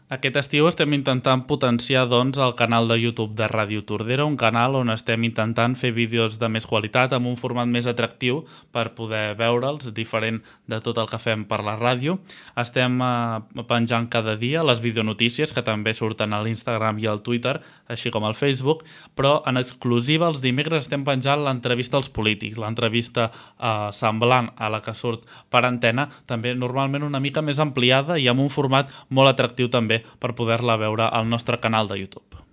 Aquest estiu estem intentant potenciar doncs, el canal de YouTube de Ràdio Tordera, un canal on estem intentant fer vídeos de més qualitat, amb un format més atractiu per poder veure'ls, diferent de tot el que fem per la ràdio. Estem penjant cada dia les videonotícies, que també surten a l'Instagram i al Twitter, així com al Facebook, però en exclusiva els dimecres estem penjant l'entrevista als polítics, l'entrevista semblant a la que surt per antena, també normalment una mica més ampliada i amb un format molt atractiu també per poder-la veure al nostre canal de YouTube.